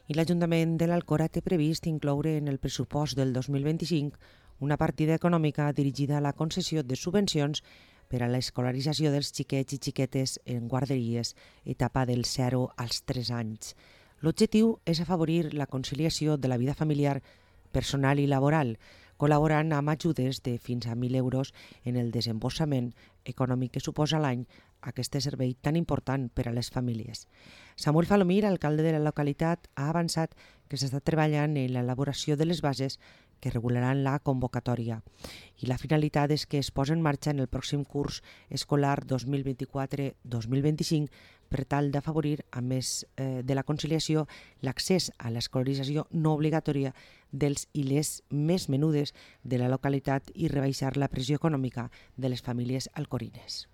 i l'Ajuntament de l'Alcora té previst incloure en el pressupost del 2025 una partida econòmica dirigida a la concessió de subvencions per a l'escolarització dels xiquets i xiquetes en guarderies, etapa del 0 als 3 anys. L'objectiu és afavorir la conciliació de la vida familiar, personal i laboral, col·laborant amb ajudes de fins a 1.000 euros en el desemborsament econòmic que suposa l'any aquest servei tan important per a les famílies. Samuel Falomir, alcalde de la localitat, ha avançat que s'està treballant en l'elaboració de les bases que regularan la convocatòria i la finalitat és que es posi en marxa en el pròxim curs escolar 2024-2025 per tal d'afavorir, a més de la conciliació, l'accés a l'escolarització no obligatòria dels i les més menudes de la localitat i rebaixar la pressió econòmica de les famílies alcorines.